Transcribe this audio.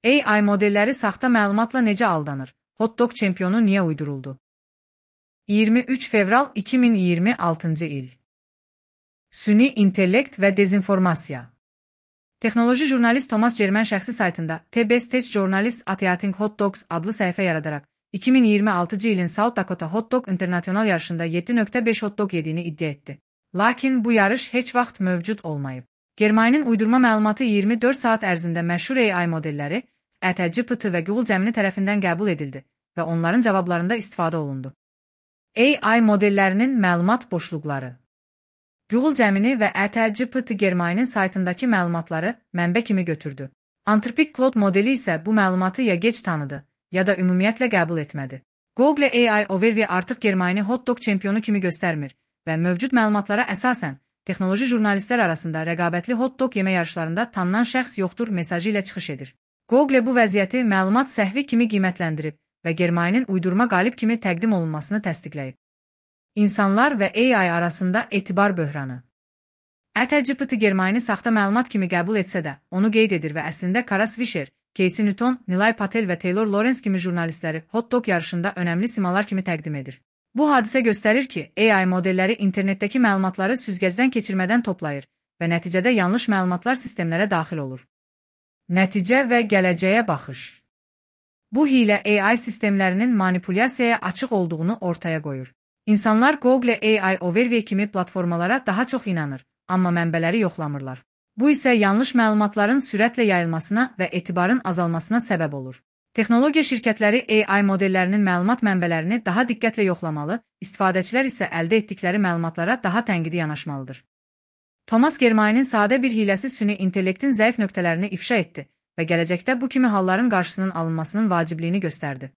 AI modelləri saxta məlumatla necə aldanır? Hot dog çempionu niyə uyduruldu? 23 fevral 2026-cı il. Süni intellekt və dezinformasiya. Texnoloji jurnalist Thomas German şəxsi saytında TBS Tech Journalist Eating Hot Dogs adlı səhifə yaradaraq 2026-cı ilin South Dakota Hot Dog International yarışında 7.5 hot dog yediyini iddia etdi. Lakin bu yarış heç vaxt mövcud olmayıb. Germainin uydurma məlumatı 24 saat ərzində məşhur AI modelləri, ChatGPT və Google Gemini tərəfindən qəbul edildi və onların cavablarında istifadə olundu. AI modellərinin məlumat boşluqları. Google Gemini və ChatGPT Germainin saytındakı məlumatları mənbə kimi götürdü. Anthropic Claude modeli isə bu məlumatı ya gec tanıdı, ya da ümumiyyətlə qəbul etmədi. Google AI Overview artıq Germaini hot dog çempionu kimi göstərmir və mövcud məlumatlara əsasən texnoloji jurnalistlər arasında rəqabətli hot dog yeme yarışlarında tanınan şəxs yoxdur mesajı ilə çıxış edir. Google bu vəziyyəti məlumat səhvi kimi qiymətləndirib və Germainin uydurma qalib kimi təqdim olunmasını təsdiqləyib. İnsanlar və AI arasında etibar böhranı. ChatGPT Germaini saxta məlumat kimi qəbul etsə də, onu qeyd edir və əslində Kara Swisher, Casey Newton, Nilay Patel və Taylor Lawrence kimi jurnalistləri hot dog yarışında önəmli simalar kimi təqdim edir. Bu hadisə göstərir ki, AI modelləri internetdəki məlumatları süzgəcdən keçirmədən toplayır və nəticədə yanlış məlumatlar sistemlərə daxil olur. Nəticə və gələcəyə baxış. Bu hiylə AI sistemlərinin manipulyasiyaya açıq olduğunu ortaya qoyur. İnsanlar Google AI Overview kimi platformalara daha çox inanır, amma mənbələri yoxlamırlar. Bu isə yanlış məlumatların sürətlə yayılmasına və etibarın azalmasına səbəb olur. Texnologiya şirkətləri AI modellərinin məlumat mənbələrini daha diqqətlə yoxlamalı, istifadəçilər isə əldə etdikləri məlumatlara daha tənqidi yanaşmalıdır. Thomas Germainin sadə bir hiləsi süni intellektin zəif nöqtələrini ifşa etdi və gələcəkdə bu kimi halların qarşısının alınmasının vacibliyini göstərdi.